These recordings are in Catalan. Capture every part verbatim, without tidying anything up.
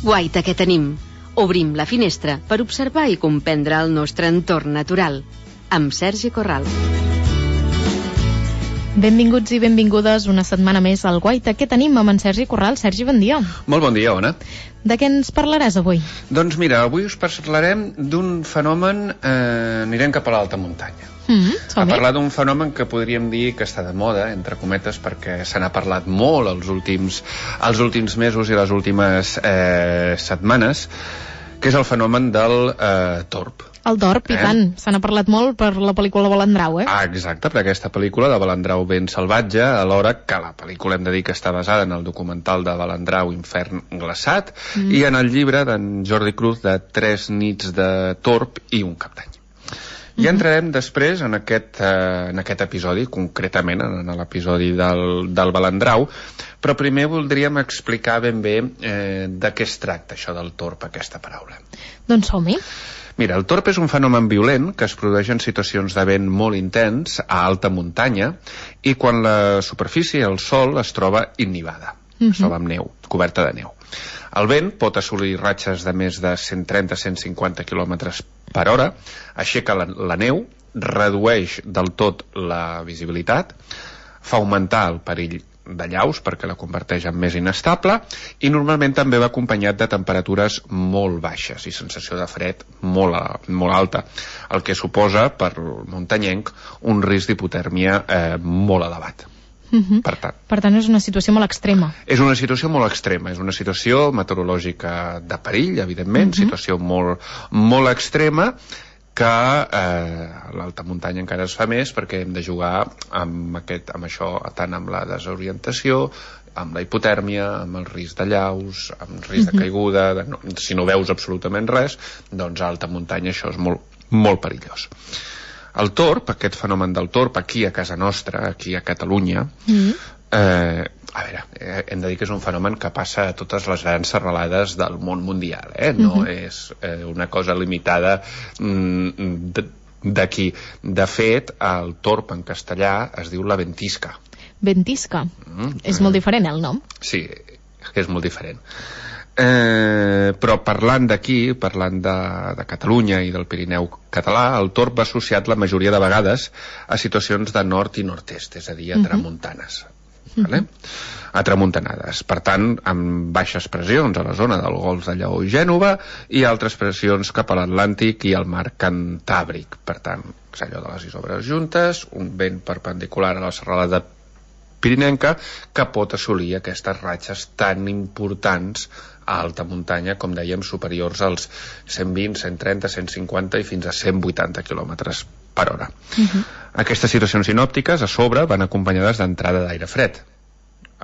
Guaita, què tenim? Obrim la finestra per observar i comprendre el nostre entorn natural. Amb Sergi Corral. Benvinguts i benvingudes una setmana més al Guaita. Què tenim amb en Sergi Corral? Sergi, bon dia. Molt bon dia, Ona. De què ens parlaràs avui? Doncs mira, avui us parlarem d'un fenomen, eh, anirem cap a l'alta muntanya. Mm-hmm, a parlar d'un fenomen que podríem dir que està de moda, entre cometes, perquè se n'ha parlat molt els últims, els últims mesos i les últimes eh, setmanes, que és el fenomen del eh, torb. El torb, i eh? tant. Se n'ha parlat molt per la pel·lícula Balandrau, eh? Ah, exacte, per aquesta pel·lícula de Balandrau ben salvatge, alhora que la pel·lícula hem de dir que està basada en el documental de Balandrau Infern glaçat mm. i en el llibre d'en Jordi Cruz de Tres nits de torb i un cap d'any. Ja entrarem després en aquest, eh, en aquest episodi, concretament en l'episodi del, del Balandrau, però primer voldríem explicar ben bé eh, de què es tracta això del torb, aquesta paraula. Doncs som-hi. Mira, el torb és un fenomen violent que es produeix en situacions de vent molt intens a alta muntanya i quan la superfície, el sòl, es troba innivada, uh-huh. es troba amb neu, coberta de neu. El vent pot assolir ratxes de més de cent trenta a cent cinquanta quilòmetres per hora, aixeca la, la neu, redueix del tot la visibilitat, fa augmentar el perill de llaus perquè la converteix en més inestable i normalment també va acompanyat de temperatures molt baixes i sensació de fred molt, molt alta, el que suposa per muntanyenc un risc d'hipotèrmia eh, molt elevat. Uh-huh. Per tant, per tant, és una situació molt extrema. És una situació molt extrema, és una situació meteorològica de perill, evidentment, uh-huh. situació molt, molt extrema que eh, a l'alta muntanya encara es fa més perquè hem de jugar amb, aquest, amb això, tant amb la desorientació, amb la hipotèrmia, amb el risc de llaus, amb el risc uh-huh. de caiguda, de no, si no veus absolutament res, doncs a alta muntanya això és molt, molt perillós. El torb, aquest fenomen del torb, aquí a casa nostra, aquí a Catalunya, uh-huh. eh, a veure, eh, hem de dir que és un fenomen que passa a totes les grans serralades del món mundial, eh? No uh-huh. és eh, una cosa limitada mm, d'aquí. De fet, el torb en castellà es diu la ventisca. Ventisca? Mm, és molt diferent, el nom? Sí, és molt diferent. Eh, però parlant d'aquí, parlant de, de Catalunya i del Pirineu català, el torb va associat la majoria de vegades a situacions de nord i nord-est, és a dir, a uh-huh. tramuntanes. Vale? A tramuntanades, per tant amb baixes pressions a la zona del Golf de Lleó i Gènova i altres pressions cap a l'Atlàntic i al mar Cantàbric, per tant és allò de les isobres juntes, un vent perpendicular a la serralada pirinenca que pot assolir aquestes ratxes tan importants a alta muntanya, com dèiem, superiors als cent vint, cent trenta, cent cinquanta i fins a cent vuitanta quilòmetres per hora. Uh-huh. Aquestes situacions sinòptiques a sobre van acompanyades d'entrada d'aire fred,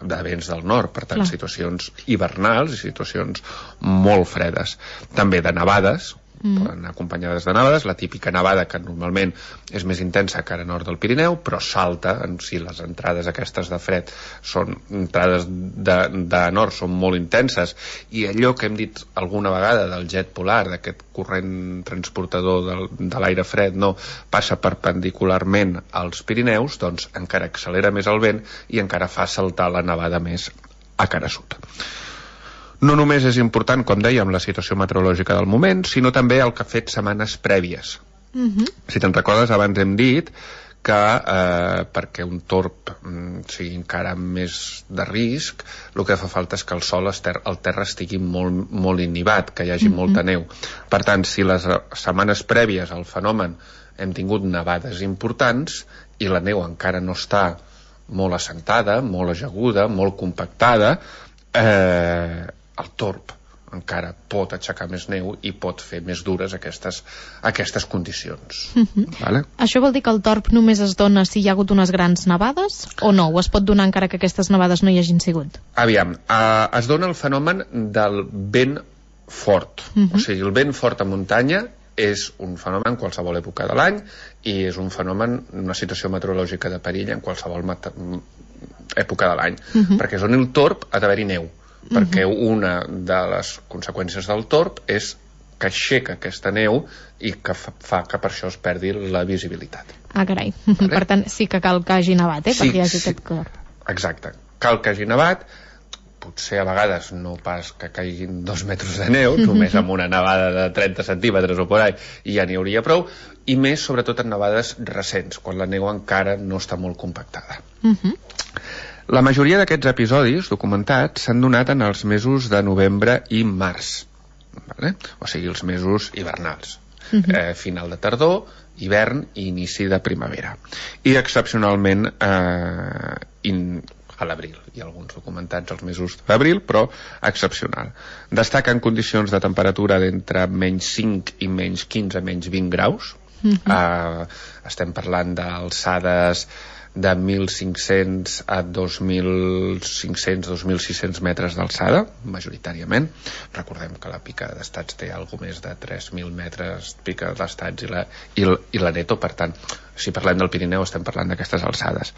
de vents del nord, per tant, Clar. situacions hivernals i situacions molt fredes. També de nevades, mm. poden anar acompanyades de nevades, la típica nevada que normalment és més intensa que a nord del Pirineu, però salta, en si les entrades aquestes de fred són entrades de, de nord, són molt intenses, i allò que hem dit alguna vegada del jet polar, d'aquest corrent transportador del, de l'aire fred, no, passa perpendicularment als Pirineus, doncs encara accelera més el vent i encara fa saltar la nevada més a cara sud. No només és important, com dèiem, la situació meteorològica del moment, sinó també el que ha fet setmanes prèvies. Uh-huh. Si te'n recordes, abans hem dit que eh, perquè un torb mm, sigui encara més de risc, el que fa falta és que el sol, ter el terra estigui molt, molt inhibat, que hi hagi uh-huh. molta neu. Per tant, si les setmanes prèvies al fenomen hem tingut nevades importants i la neu encara no està molt assentada, molt ajaguda, molt compactada, eh, el torb encara pot aixecar més neu i pot fer més dures aquestes, aquestes condicions. Uh-huh. Vale? Això vol dir que el torb només es dona si hi ha hagut unes grans nevades o no? O es pot donar encara que aquestes nevades no hi hagin sigut? Aviam, uh, es dona el fenomen del vent fort. Uh-huh. O sigui, el vent fort a muntanya és un fenomen en qualsevol època de l'any i és un fenomen, una situació meteorològica de perill en qualsevol època de l'any. Uh-huh. Perquè és on el torb ha d'haver-hi neu. Perquè una de les conseqüències del torb és que aixeca aquesta neu i que fa, fa que per això es perdi la visibilitat. Ah, carai. Vale? Per tant, sí que cal que hagi nevat, eh? Sí, perquè hi hagi sí. aquest cor. Exacte. Cal que hagi nevat. potser a vegades no pas que caiguin dos metres de neu, només amb una nevada de trenta centímetres o por ahí, i ja n'hi hauria prou, i més sobretot en nevades recents, quan la neu encara no està molt compactada. Uh-huh. La majoria d'aquests episodis documentats s'han donat en els mesos de novembre i març, vale? O sigui, els mesos hivernals. Uh-huh. eh, final de tardor, hivern i inici de primavera. I excepcionalment eh, in, a l'abril. Hi ha alguns documentats als mesos d'abril, però excepcional. Destaquen condicions de temperatura d'entre menys cinc i menys quinze, menys vint graus. Uh-huh. eh, estem parlant d'alçades de mil cinc-cents a dos mil cinc-cents a dos mil sis-cents metres d'alçada, majoritàriament. Recordem que la pica d'estats té alguna més de tres mil metres pica d'estats i la, i, la, i la neto, per tant, si parlem del Pirineu estem parlant d'aquestes alçades.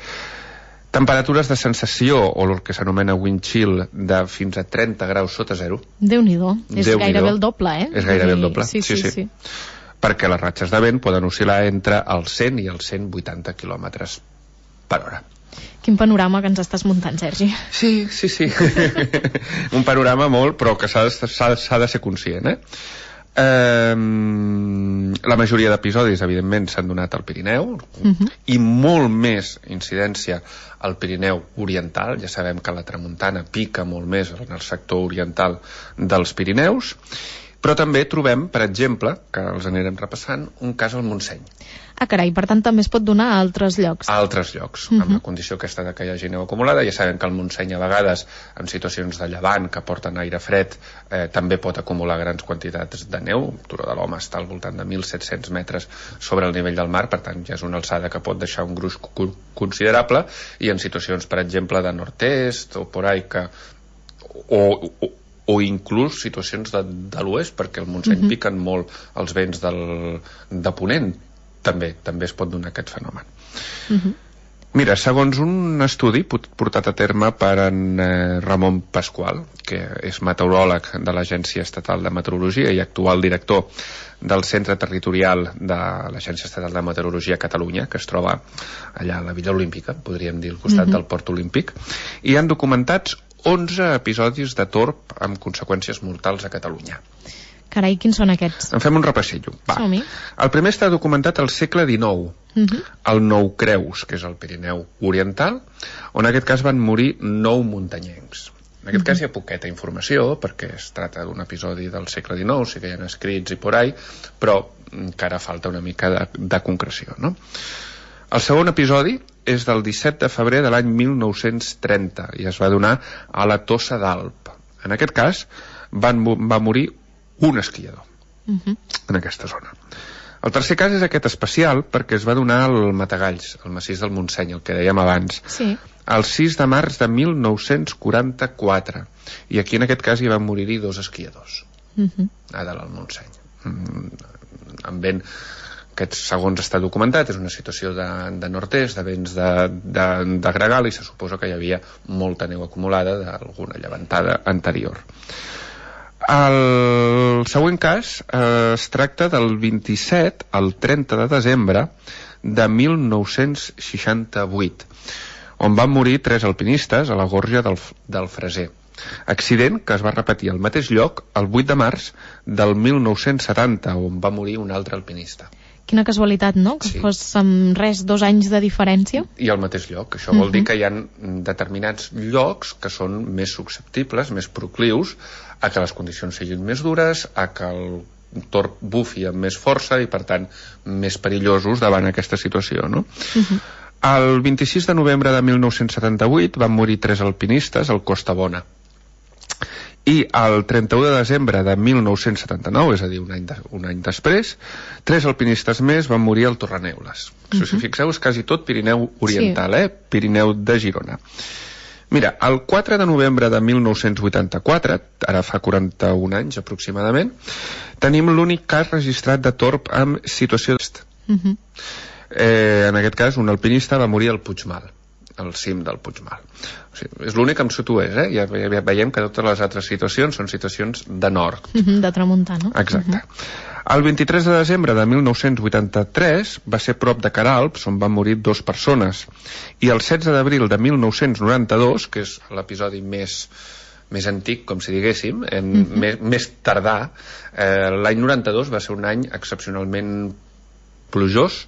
Temperatures de sensació, o el que s'anomena wind chill, de fins a trenta graus sota zero. Déu-n'hi-do, és Déu gairebé el doble, eh? És gairebé el doble, sí, sí, sí. sí. Perquè les ratxes de vent poden oscil·lar entre els cent i els cent vuitanta quilòmetres per hora. Quin panorama que ens estàs muntant, Sergi. Sí, sí, sí. Un panorama molt, però que s'ha de, de ser conscient, eh? Eh, la majoria d'episodis evidentment s'han donat al Pirineu, uh-huh. i molt més incidència al Pirineu oriental. Ja sabem que la tramuntana pica molt més en el sector oriental dels Pirineus, però també trobem, per exemple, que els anirem repassant, un cas al Montseny. Ah, carai, per tant també es pot donar a altres llocs. A altres llocs, uh-huh. amb la condició aquesta de que hi hagi neu acumulada. Ja sabem que el Montseny a vegades, en situacions de llevant que porten aire fred, eh, també pot acumular grans quantitats de neu. Turó de l'Home està al voltant de mil set-cents metres sobre el nivell del mar, per tant ja és una alçada que pot deixar un gruix considerable, i en situacions, per exemple, de nord-est o por ahí que... o, o o inclús situacions de, de l'oest, perquè al Montseny uh-huh. piquen molt els vents del, de Ponent. També també es pot donar aquest fenomen. Uh-huh. Mira, segons un estudi portat a terme per en eh, Ramon Pasqual, que és meteoròleg de l'Agència Estatal de Meteorologia i actual director del Centre Territorial de l'Agència Estatal de Meteorologia a Catalunya, que es troba allà a la Villa Olímpica, podríem dir, al costat uh-huh. del Port Olímpic, i han documentats onze episodis de torb amb conseqüències mortals a Catalunya. Carai, quins són aquests? En fem un repassillo. Va. Som-hi. El primer està documentat al segle dinou, uh-huh. al Nou Creus, que és el Pirineu Oriental, on en aquest cas van morir nou muntanyencs. En aquest uh-huh. cas hi ha poqueta informació, perquè es tracta d'un episodi del segle dinou, sí que hi ha escrits i por ahí, però encara falta una mica de, de concreció, no? El segon episodi és del disset de febrer de l'any mil nou-cents trenta i es va donar a la Tossa d'Alp. En aquest cas van, va morir un esquiador uh-huh. en aquesta zona. El tercer cas és aquest especial perquè es va donar al Matagalls, al massís del Montseny, el que dèiem abans, sí. el sis de març de mil nou-cents quaranta-quatre, i aquí en aquest cas hi van morir-hi dos esquiadors uh-huh. a dalt al Montseny. Mm, amb vent, aquest segons està documentat, és una situació de, de nord-est, de vents de, de, de gregal, i se suposa que hi havia molta neu acumulada d'alguna llevantada anterior. El següent cas eh, es tracta del vint-i-set al trenta de desembre de mil nou-cents seixanta-vuit, on van morir tres alpinistes a la gorja del, del Freser. Accident que es va repetir al mateix lloc el vuit de març del mil nou-cents setanta, on va morir un altre alpinista. Quina casualitat, no? Que sí. Fos amb res, dos anys de diferència. I al mateix lloc. Això vol uh-huh. dir que hi ha determinats llocs que són més susceptibles, més proclius a que les condicions siguin més dures, a que el torb bufi amb més força i, per tant, més perillosos davant aquesta situació, no? Uh-huh. El vint-i-sis de novembre de mil nou-cents setanta-vuit van morir tres alpinistes al Costa Bona. I el trenta-u de desembre de mil nou-cents setanta-nou, és a dir, un any, de, un any després, tres alpinistes més van morir al Torreneules. Uh-huh. Si us fixeu, és quasi tot Pirineu Oriental, sí. eh? Pirineu de Girona. Mira, el quatre de novembre de mil nou-cents vuitanta-quatre, ara fa quaranta-un anys aproximadament, tenim l'únic cas registrat de torb amb situació d'est. Uh-huh. Eh, en aquest cas, un alpinista va morir al Puigmal, al cim del Puigmal. O sigui, és l'únic amb sud-oest, eh? Ja, ja veiem que totes les altres situacions són situacions de nord. Uh-huh, de tramuntana. Exacte. Uh-huh. El vint-i-tres de desembre de mil nou-cents vuitanta-tres va ser prop de Queralbs, on van morir dos persones. I el setze d'abril de mil nou-cents noranta-dos, que és l'episodi més més antic, com si diguéssim, en, mm-hmm. més, més tardà. Eh, l'any noranta-dos va ser un any excepcionalment plujós,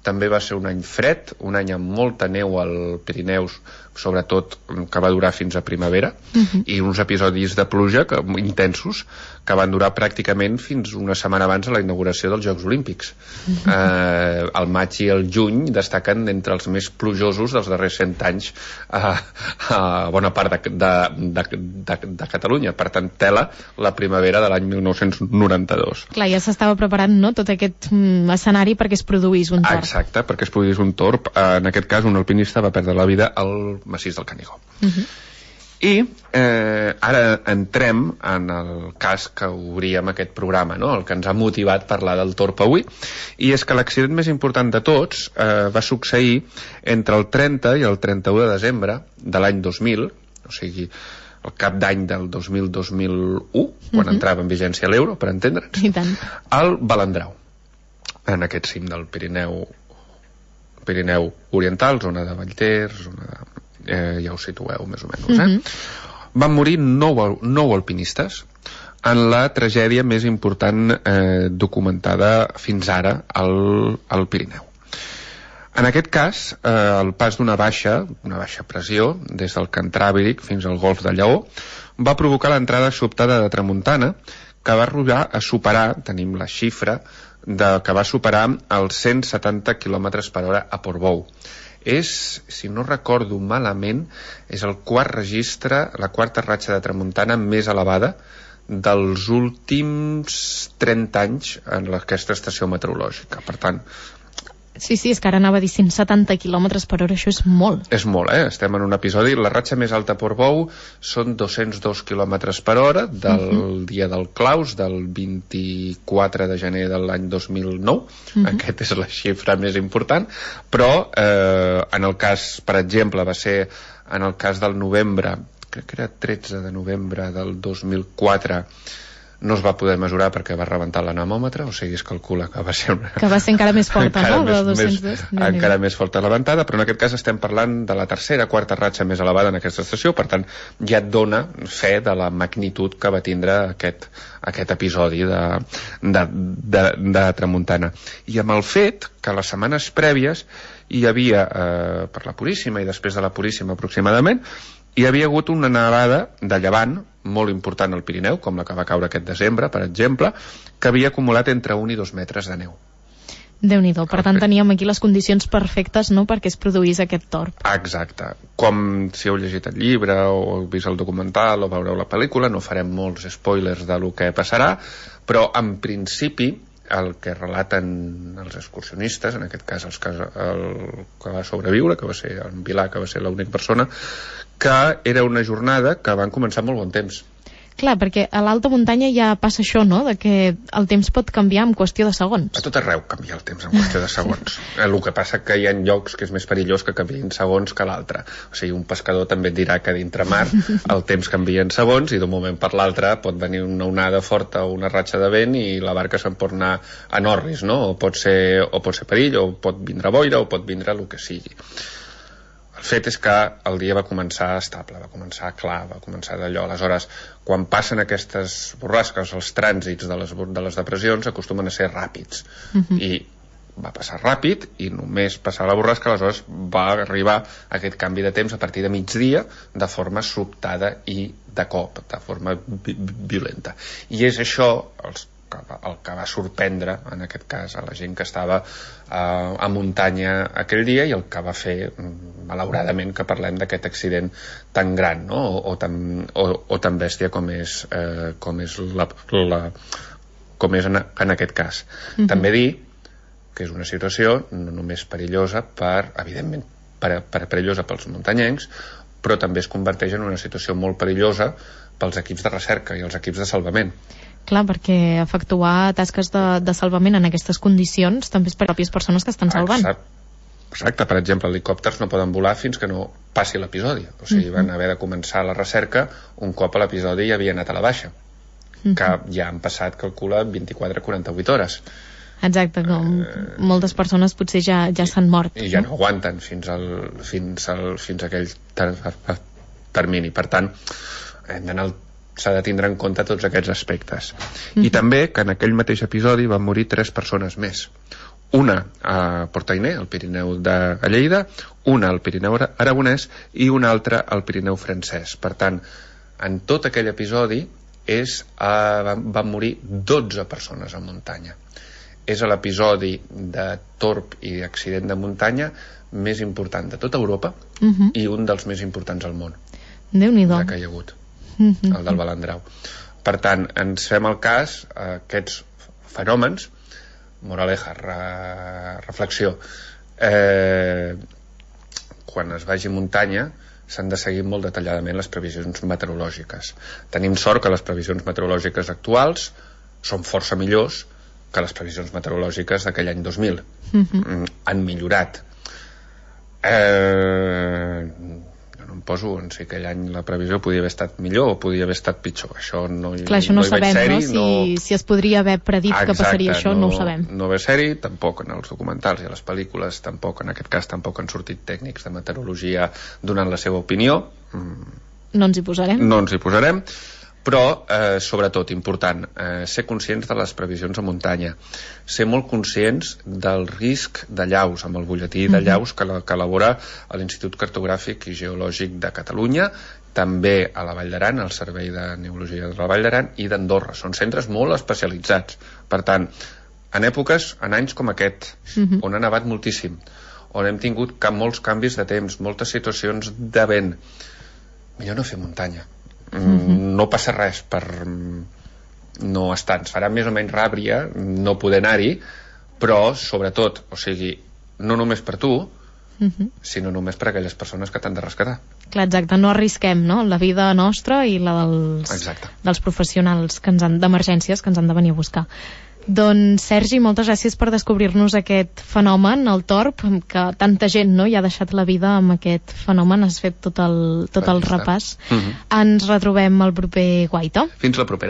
també va ser un any fred, un any amb molta neu al Pirineus, sobretot que va durar fins a primavera, uh-huh. i uns episodis de pluja que, intensos que van durar pràcticament fins una setmana abans de la inauguració dels Jocs Olímpics. Uh-huh. Eh, el maig i el juny destaquen entre els més plujosos dels darrers cent anys a, a bona part de, de, de, de, de Catalunya. Per tant, tela la primavera de l'any mil nou-cents noranta-dos. Clar, ja s'estava preparant, no?, tot aquest mm, escenari perquè es produís un torb. Exacte, perquè es produís un torb. En aquest cas, un alpinista va perdre la vida al massís del Canigó. Uh-huh. I eh, ara entrem en el cas que obríem aquest programa, no? El que ens ha motivat a parlar del torb avui, i és que l'accident més important de tots eh, va succeir entre el trenta i el trenta-u de desembre de l'any dos mil, o sigui, el cap d'any del dos mil dos mil u, quan uh-huh. entrava en vigència l'euro, per entendre'ns, I tant. al Balandrau, en aquest cim del Pirineu Pirineu Oriental, zona de Vallter, zona de... Eh, ja ho situeu més o menys, eh? Uh-huh. Van morir nou, nou alpinistes en la tragèdia més important eh, documentada fins ara al, al Pirineu. En aquest cas, eh, el pas d'una baixa, una baixa pressió, des del Cantràbiric fins al Golf de Lleó, va provocar l'entrada sobtada de tramuntana, que va arribar a superar, tenim la xifra, de, que va superar els cent setanta quilòmetres per hora a Portbou. És, si no recordo malament, és el quart registre, la quarta ratxa de tramuntana més elevada dels últims trenta anys en aquesta estació meteorològica. Per tant, Sí, sí, és que ara anava a dir cent setanta quilòmetres per hora, això és molt. És molt, eh? Estem en un episodi... La ratxa més alta a Portbou són dos-cents dos quilòmetres per hora del uh-huh. dia del Claus, del vint-i-quatre de gener de l'any dos mil nou. Uh-huh. Aquesta és la xifra més important. Però, eh, en el cas, per exemple, va ser en el cas del novembre, crec que era tretze de novembre del dos mil quatre, no es va poder mesurar perquè va rebentar l'anemòmetre, o sigui, es calcula que va ser una... Que va ser encara més forta, encara no? Més, dos-cents dos. Més, encara més forta la ventada, però en aquest cas estem parlant de la tercera, quarta ratxa més elevada en aquesta estació, per tant, ja et dona fe de la magnitud que va tindre aquest, aquest episodi de, de, de, de tramuntana. I amb el fet que les setmanes prèvies hi havia, eh, per la Puríssima i després de la Puríssima aproximadament, hi havia hagut una nevada de llevant molt important al Pirineu, com la que va caure aquest desembre, per exemple, que havia acumulat entre un i dos metres de neu. Déu-n'hi-do, per tant teníem aquí les condicions perfectes, no?, perquè es produís aquest torb. Exacte. Com si heu llegit el llibre o heu vist el documental o veureu la pel·lícula, no farem molts spoilers de lo que passarà, però en principi el que relaten els excursionistes, en aquest cas els que, el que va sobreviure, que va ser en Vilà, que va ser l'única persona, que era una jornada que van començar molt bon temps. Clar, perquè a l'alta muntanya ja passa això, no?, de que el temps pot canviar en qüestió de segons. A tot arreu canvia el temps en qüestió de segons. El que passa que hi ha llocs que és més perillós que canviïn segons que l'altre. O sigui, un pescador també et dirà que dintre mar el temps canvia en segons i d'un moment per l'altre pot venir una onada forta o una ratxa de vent i la barca se'n pot anar a Norris, no? O pot ser, o pot ser perill, o pot vindre boira, o pot vindre el que sigui. El fet és que el dia va començar estable, va començar clar, va començar d'allò. Aleshores, quan passen aquestes borrasques, els trànsits de les, de les depressions acostumen a ser ràpids. Uh-huh. I va passar ràpid i només passar la borrasca, aleshores va arribar aquest canvi de temps a partir de migdia de forma sobtada i de cop, de forma vi violenta. I és això els el que va sorprendre en aquest cas a la gent que estava eh, a muntanya aquell dia i el que va fer malauradament que parlem d'aquest accident tan gran, no? o, o, tan, o, o tan bèstia com és, eh, com és, la, la, com és en, en aquest cas. Mm-hmm. També dir que és una situació no només perillosa per, evidentment per, per perillosa pels muntanyencs, però també es converteix en una situació molt perillosa pels equips de recerca i els equips de salvament. Clar, perquè efectuar tasques de, de salvament en aquestes condicions també és per pròpies persones que estan salvant. Exacte. Exacte. Per exemple, helicòpters no poden volar fins que no passi l'episodi. O sigui, uh-huh. van haver de començar la recerca un cop l'episodi ja havia anat a la baixa. Uh-huh. Que ja han passat, calcula, vint-i-quatre a quaranta-vuit hores. Exacte, com uh, moltes persones potser ja, ja s'han mort. I ja no, no aguanten fins, al, fins, al, fins a aquell ter termini. Per tant, hem d'anar s'ha de tindre en compte tots aquests aspectes. Mm-hmm. I també que en aquell mateix episodi van morir tres persones més. Una a Port-Ainé, al Pirineu de Lleida, una al Pirineu aragonès i una altra al Pirineu francès. Per tant, en tot aquell episodi és, uh, van, van morir dotze persones a muntanya. És l'episodi de torb i accident de muntanya més important de tota Europa, mm-hmm. i un dels més importants al món. Déu-n'hi-do. Que hi ha hagut. Mm-hmm. El del Balandrau. Per tant, ens fem el cas a aquests fenòmens, moraleja, re, reflexió, eh, quan es vagi a muntanya s'han de seguir molt detalladament les previsions meteorològiques. Tenim sort que les previsions meteorològiques actuals són força millors que les previsions meteorològiques d'aquell any dos mil. Mm-hmm. Han millorat. Eh... no em poso en si aquell any la previsió podia haver estat millor o podia haver estat pitjor. Això no, Clar, això no, no hi sabem, ser-hi, no? Si, no... si es podria haver predit Exacte, que passaria això, no, no ho sabem. No ve ser-hi, tampoc en els documentals i a les pel·lícules, tampoc en aquest cas tampoc han sortit tècnics de meteorologia donant la seva opinió. No ens hi posarem. No ens hi posarem, però eh, sobretot important, eh, ser conscients de les previsions a muntanya, ser molt conscients del risc de llaus, amb el butlletí de llaus que, la, que elabora l'Institut Cartogràfic i Geològic de Catalunya, també a la Vall d'Aran, al Servei de Neologia de la Vall d'Aran i d'Andorra. Són centres molt especialitzats. Per tant, en èpoques, en anys com aquest, uh-huh. on ha nevat moltíssim, on hem tingut molts canvis de temps, moltes situacions de vent, millor no fer muntanya. Mm-hmm. No passa res per no estar, ens farà més o menys ràbria no poder anar-hi, però sobretot, o sigui, no només per tu, mm-hmm. sinó només per aquelles persones que t'han de rescatar. Clar, exacte, no arrisquem, no?, la vida nostra i la dels, dels professionals que ens han, d'emergències que ens han de venir a buscar. Doncs, Sergi, moltes gràcies per descobrir-nos aquest fenomen, el torb, que tanta gent, no?, hi ha deixat la vida amb aquest fenomen. Has fet tot el, tot el repàs. Mm-hmm. Ens retrobem el proper Guaita. Fins la propera.